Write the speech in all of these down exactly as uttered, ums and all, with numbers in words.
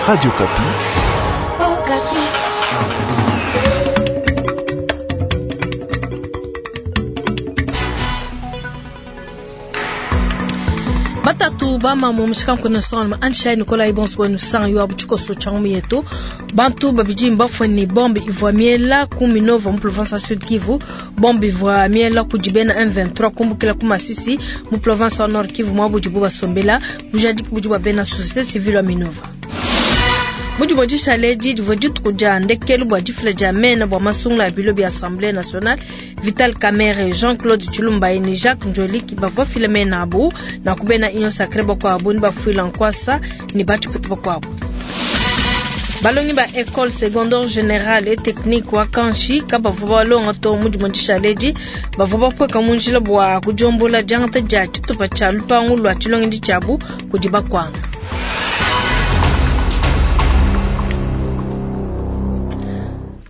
Radio Okapi. Batatu bama mu mushikanku national anshai Nikolai bonso wenu sang yo abu tshikoso tsha ngumu yetu bantu babidi mbafue ne bombe ivua miela ku Minova mu province ya Sud Kivu. Bombe ivua miela kudi bena M vingt-trois kumbukila ku Masisi mu province ya Nord Kivu mwa budibu basombela bujadiki budi bua bena société civile wa Minova. Mudi bua dishale di divua dituku dia ndekelu bua difila dia mena bua masungula ya bilo bia Assemblée nationale. Vital Kamerhe, Jean-Claude Tshilumbayi ne Jacques Ndjoli bavua bafile mena abu na kubena Union Sacrée bakuabu ne bafuila nkwasa ne batshipete bakuabu. Balongi ba école secondaire générale et technique wa Kanshi kabavua balonga to mudi mua dishale di bavua bapueka mu njila bua kudiombola diangata dia tshitupa tshia lupangu lua tshilongedi tshiabu kudi bakwanga.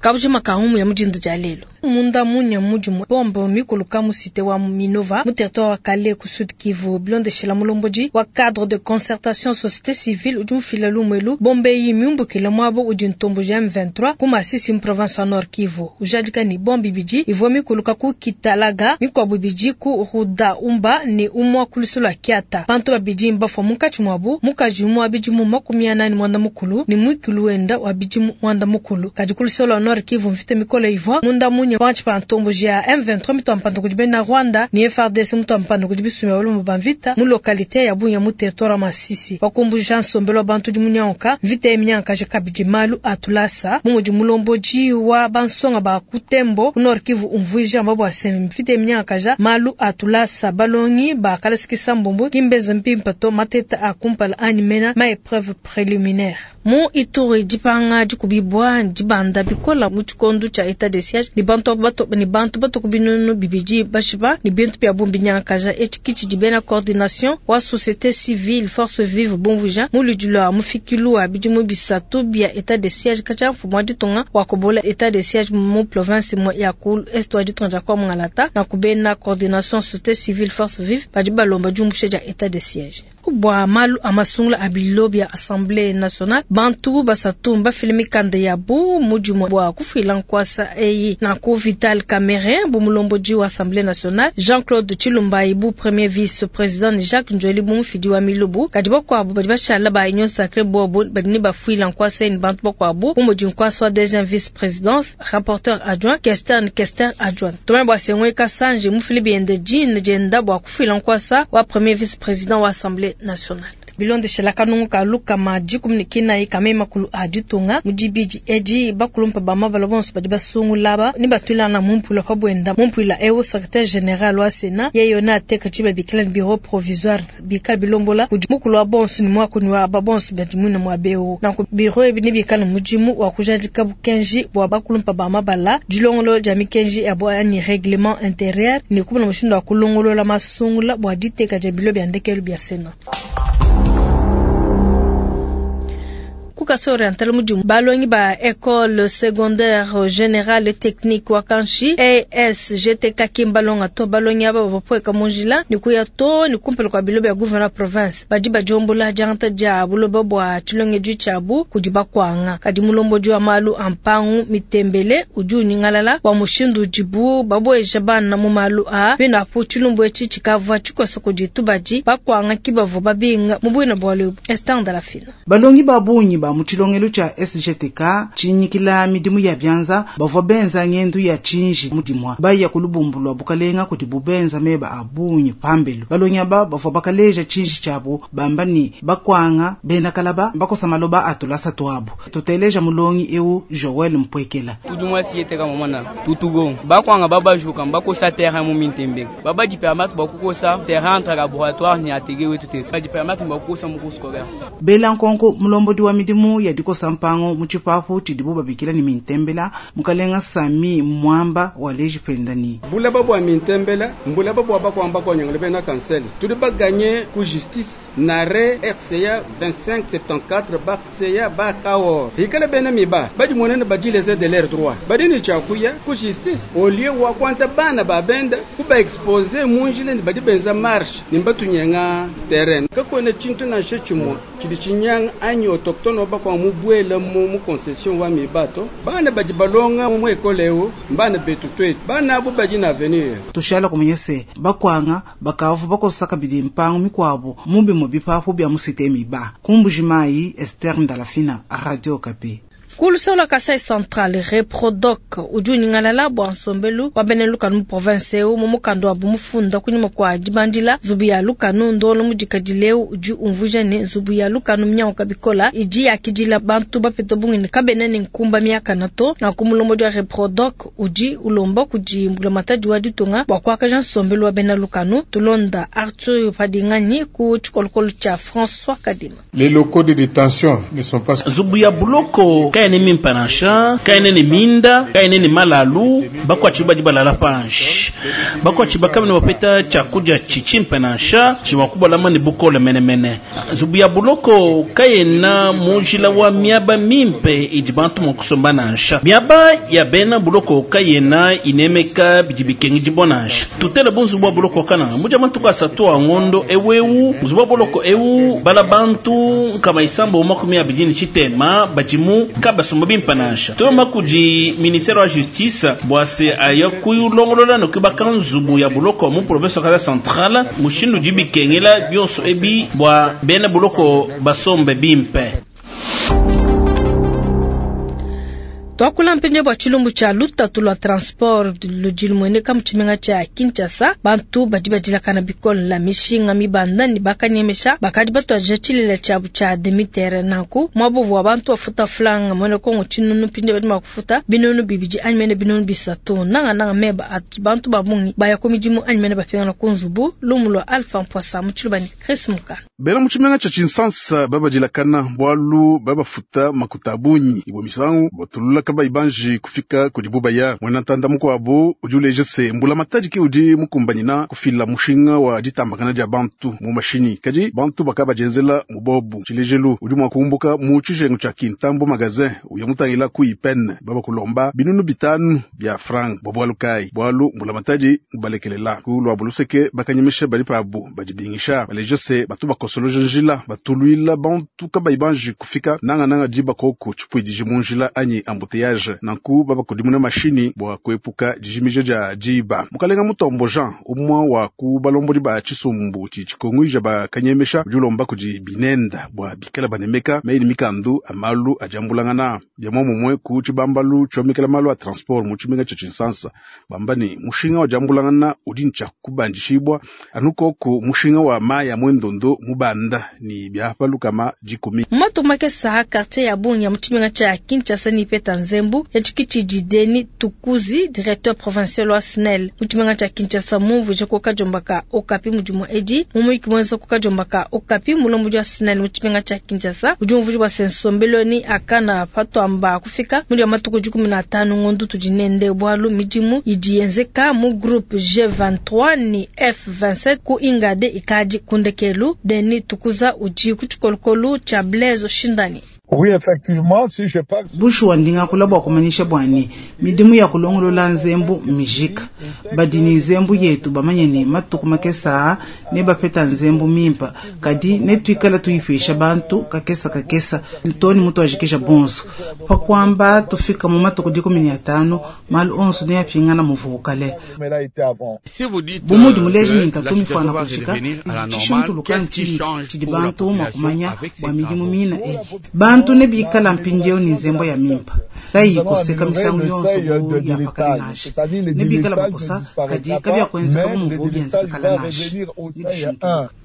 Kabujima ka humu ya mujindu dia lelo. Munda munya mudimu bombo mikuluka mu cité wa Minova mu territoire wa Kale ku Sud Kivu bilondeshela mulomboji wa cadre de concertation société civile udi mufila lumwelu bombe yi miumbukila mwabo udi ntombo ja M vingt-trois ku Masisi mu province wa Nord Kivu. Ujadika ni bombe bidi ivua mikuluka ku Kitalaga mikwabu bidi ku Ruda Umba ne umwa ku lusu lua Kiata. Bantu babidi mbafua munkatshi mwabu mukaji umwe wa bidimu makumi anani mwanda mukulu ne mwikulu wenda wa bidimu mwanda mukulu. Kadi ku lusu lwa Nord Kivu mvita mikole ivua munda munya panshi pa ntombo ja M vingt-trois mutu wa mpanda kudi bena Rwanda ni F R D C mutu wa mpanda kudi bisumbi bia balume ba mvita mu localité ya Bunya mu territoire wa Masisi. Bakumbuja nsombelo wa bantu di munyanka mvita ya minyanka je kabidi malu atulasa mu mudi mulomboji wa bansonga ba Kutembo ku Nord Kivu umvuija mbabu asemi mvita ya minyanka ja malu atulasa balongi ba kalasikisa mbombo kimbeza mpimpa to mateta a kumpala anyi mena ma épreuve préliminaire. Mu Ituri dipanga dikubibwa dibanda bikola mu tshikondo tshia état de siège ni bantu bato ni bantu bato kubinunu bibidi bashiba ni bintu bia bumbi nyankaja etikiti di bena coordination wa société civile force vive bonvuja mu ludilwa mufikilu wa bidimu bisatu bia état de siège kacha mfumu wa ditunga wa kobola état de siège mu province mo ya ku est wa ditunga dia kwa Mungalata na kubena coordination société civile force vive badi balomba diumbushe dia état de siège. Bwa malu amasungula abilo bia Assemblée nationale bantu basatu mbafile mikanda ya bu mudimu bwa kufila nkwasa eyi na ku Vital Kamerhe bu mulomboji wa Assemblée nationale Jean-Claude Tshilumbayi bu premier vice-président ni Jacques Ndjoli bu mufidi wa milubu kadi bakuabu badi bashala ba Union Sacrée bobu badi ne bafuila nkwasa eyi ni bantu bakuabu bu mudi nkwasa wa deuxième vice-présidence rapporteur adjoint Kester ni Kester adjoint Thomas Boisengwe Kasanji mufili biende jine jenda bwa kufila nkwasa wa premier vice-président wa Assemblée nationale. Bilondeshela kanungu ka luka ma dikumi ne kinayi ka mema kulu a ditunga mudibidi edi bakulumpa ba mabala bonso badi basungula ba ni batwilana mu mpula pa bwenda mu mpula ewu secrétaire général wa Sénat yeyo na ateka tshiba bikila ni bureau provisoire bikala bilombola kudi mukulu wa bonso ni mwakuni wa ba bonso badi mwina mwa beo na ku bureau ebi ni bikala mudimu wa kujadika bukenji bwa bakulumpa ba mabala dilongolo dia mikenji ya bwa ni règlement intérieur ni kubona mushindu wa kulongolola masungula bwa diteka dia bilo bia ndekelu bia Sénat. Kukaso oriental mudimu balongi ba école secondaire générale technique wa Kanshi A S G T K Kimbalonga to balongi aba bapweka munjila ni kuya to ni kumpela kwa bilo bya gouverneur province badi bajombola janta dia buloba bwa tshilonge du tshiabu kudi bakwanga kadi mulombo wa malu ampangu mitembele udi unyingalala wa mushindu udibu babweja bana mu malu a bena pu tshilumbu etshi tshikavua tshikoso kudi tubadi bakwanga kibavu babinga mu bwina bwa lubu Esther de la Fina. Balongi babunyi ba mu tshilongelo tshia S G T K tshinyikila midimu ya byanza bavua benza ngendu ya tshinji mudimwa baya ku lubumbu lwa bukalenga kudi bubenza meba abunyi pambelu balongi aba bavua bakaleja tshinji tshiabu bamba ni bakwanga bena kalaba bakosa maloba atulasa tuabu tuteleja mulongi eu Joel Mpwekela tudi mwa S G T K mamana tutugo bakwanga babajuka bakosa terrain mu mintembe baba di permettre bakukosa terrain entre laboratoire ni atege wetu te di permettre bakukosa mu cours scolaire bela nkonko mulombodi wa midimu ya dikosa mpango mu tshipapu tshidibu babikila ni mintembela mukalenga Sami Mwamba wa leji pendani bulaba bwa mintembela mbulaba bwa bakwamba kwa nyangale bena kansel tudi baganye ku justice nare R C A vingt-cinq soixante-quatorze ba C A ba kawo hikale bena miba badi monene badileze de l'air droit badi ni chakuya ku justice au lieu wa kwanta bana ba benda ku ba exposer munjile ni badi benza marche ni batunyenga terrain kakwene chintu na shechimwa chidi chinyang anyi autochtone ba bakwa mubwela mu mu concession wa mibato bana badi balonga mu ekole eu mbana betu twetu bana abo badi na avenir. Tushala kumanya se bakwanga bakavu bakosaka bidi mpango mikwabo mubi mu bipapu bya musite miba kumbujimayi. Esther Ndalafina, Radio Okapi. Kulusola Kasai Central Reprodoc udi unyingalala bua nsombelu wa bena lukanu mu province eu mu mukanda wa bumufunda kunyima kua dibandila nzubu ya lukanu ndolo mudikadile udi umvuija ne nzubu ya lukanu minyanguka bikola idi yakidila bantu bapete bungene kabena ne nkumba miakana to na kumulombodi wa Reprodoc udi ulomba kudi mbulamatadi wa ditunga bua kuakaja nsombelu wa bena lukanu. Tulonda Arthur Padingani ku tshikolokolo tshia François Kadima. Les locaux de détention ne sont pas nzubu ya buloko kaene mimpa nansha kaene ne minda kaene ne malalu bakwachi badi balala panshi bakwachi bakamene bapeta chakudia chichimpa nansha chiwakubalama ne bukole menemene nzubu ya buloko kayena mujila wa miaba mimpe idi bantu mokusomba nansha miaba ya bena buloko kayena inemeka bidi bikengi dibwa nansha tutele bunzubu wa buloko kana muja matuku asatu wa ngondo ewewu nzubu wa buloko ewu bala bantu nkama isambo makumi abidi ne tshitema badimu kabasomba bimpa nansha tolomba kudi ministère wa justice bwase aya kuyulongolola nokubaka nzubu ya buloko mu province wa Kasai Central mushindu di bikengela bionso ebi bwa bena buloko basombe bimpe. Twakula mpinje bwa tshilumbu tshia lutatu lwa transport ludi lumueneka mu tshimenga tshia Kinshasa. Bantu badi badilakana bikole la mishinga mibanda ne bakanyemesha bakadi batuadija tshilela tshiabu tshia demitere nanku mwabovu wa bantu bafuta flanga mwene Kongo tshinunu mpinje badi makufuta binunu bibidi anyi mene binunu bisatu nanga nanga meba ati bantu babungi baya ku midimu anyi mene bapingana ku nzubu lumu lwa Alpha Mpwasa mu tshilubani Chris Muka. Bena mu tshimenga tshia Kinshasa babadilakana bwalu babafuta makuta bunyi ibwe misangu batulula kabayibanji kufika kudi bubaya mwena ntanda mukwabo udi uleja se mbula matadi ke udi mukumbanyina kufila mushinga wa ditambakana dia bantu mu mashinyi kadi bantu bakabajenzela mubobu tshilejelu udi mua kumbuka mu tshijengu tshia Kintambo magazin uya mutangila ku ipene baba kulomba binunu bitanu bya franc bwa kai bwalu mbula matadi mubalekelela ku lwa buluseke bakanyemesha bali pabu badibingisha baleja se batu bakosoloja njila batuluila bantu kabayibanji kufika nanga nanga diba koko tshipuidiji mu njila anyi ambute nanku baba kudimuna mashini bwa kuepuka dijimija dia diba mukalenga Mutombo Jean umwa wa ku balombodi ba tshisumbu tshikongwija bakanyemesha udi ulomba kudi binenda bwa bikala banemeka meyi mikandu amalu ajambulangana bya momumwe ku tshibambalu tshomekela malu a transport mu tshimenga tshia Kinshasa bamba ni mushinga wa jambulangana udi ntshia kubandishibwa anukoko mushinga wa maya mwendondo mubanda ni byapa lukama dikumi matumake saha quartier ya Bunya mu tshimenga tshia Kinshasa ni peta Nzembu ya tshikitshi Deni Tukuzi directeur provincial wa S N E L mu tshimenga tshia Kinshasa mumvuje ko kajombaka Okapi mudimu edi mumuyiki mwenza ko kajombaka Okapi mulombo wa S N E L mu tshimenga tshia Kinshasa udi umvuje bwa sensombeloni akana patwamba kufika muri matuku dikumi na tano ngondo tudinende bwalu midimu idi yenzeka mu groupe G vingt-trois ni F vingt-sept ku ingade ikadi kundekelu Deni Tukuza udi ku tshikolokolo tshia Blaise Shindani. Oui, effectivement, si je parle... Bushuwa ndinga kulabwa kumanyisha bwani midimu ya kulongolola nzembu mijika badini nzembu yetu bamanye ne matuku makesa ne bapeta nzembu mimpa kadi ne tuikala tuifisha bantu kakesa kakesa ntoni mutu ajikisha bonso pa kwamba tufika mu matuku dikumi na tano malu onso ne yapingana muvukale bumudi muleji ni ntatu mifana kushika tshishintuluka ntshini tshidi bantu makumanya bwa midimu mina eyi bantu ne bikala mpindieu ni nzembo ya mimpa kayi koseka misangu yonso bu ya pakali nashe ne bikala bakosa kadi kabya kwenzeka bumuvu byenze bikala nashe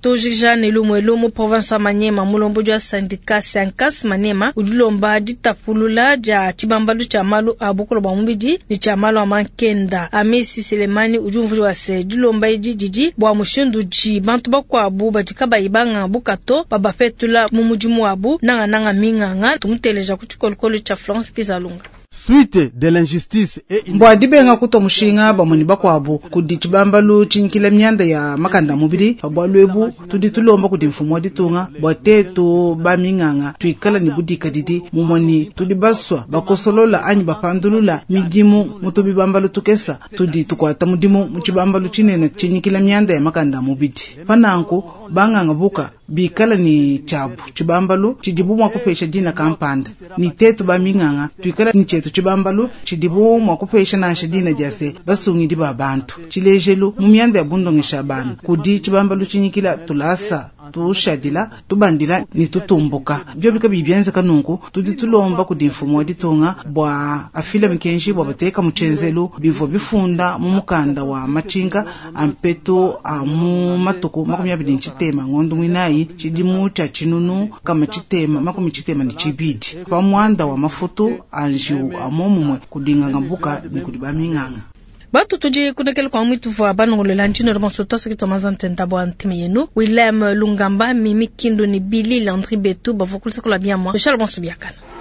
tojija ne lumwe lumu province ya Maniema mulombo jwa syndicat Sankas Maniema udilomba ditapulula dia tshibambalu tshia malu a bukolo bwa mubidi ne tshia malu a mankenda Amisi Selemani udi umvuli wa se dilomba idi didi bwa mushindu ji bantu bakwabu badi kabayi banga bukato babapetula mu mudimu wabu nanga nanga minganga tumuteleja ku tshikolokolo tshia Florence Kizalunga. Suite de l'injustice et mbwa dibenga kuto mushinga bamoni bakwabu kudi tshibambalu tshinkila myanda ya makanda mubili bwa lwebu tudi tulomba kudi mfumo ditunga bwa tetu ba minganga tuikala ni budika didi mumoni tudi baswa bakosolola anyi bapandulula midimu mutu bibambalu tukesa tudi tukwata mudimu mu tshibambalu tshinene tshinkila myanda ya makanda mubili pananku banganga buka bikala ne tshiabu tshibambalu tshidibu mua kupesha dina kampanda, ne tetu ba minganga tuikala ne tshietu tshibambalu tshidibu mua kupesha nansha dina dia se basungidi ba bantu. Tshilejelu mu mianda ya bundongesha bana kudi tshibambalu tshinyikila tulasa tushadila tubandila ne tutumbuka. Biobi kabiyi bienzeka nunku, tudi tulomba kudi mfumu wa ditunga bua afile mikenji bua bateka mu tshenzelu bivua bifunda mu mukanda wa matshinka a mpetu a mu matuku makumi abidi ne tshitema ngondo muinayi tshidimu tshia tshinunu kama tshitema makumi tshitema ne tshibidi pa muanda wa mafutu a njiwu a momumue kudi ngangabuka ne kudi baminganga. Batu tudi kunekele kwa mwitu vwa banongolola ntino bonso twasakitwa mazantenta bwa ntime yenu Willem Lungamba Mimi Kindu ni Billy Landry Betu bavua kulusaka lwa biamwa Michel bonso biakana.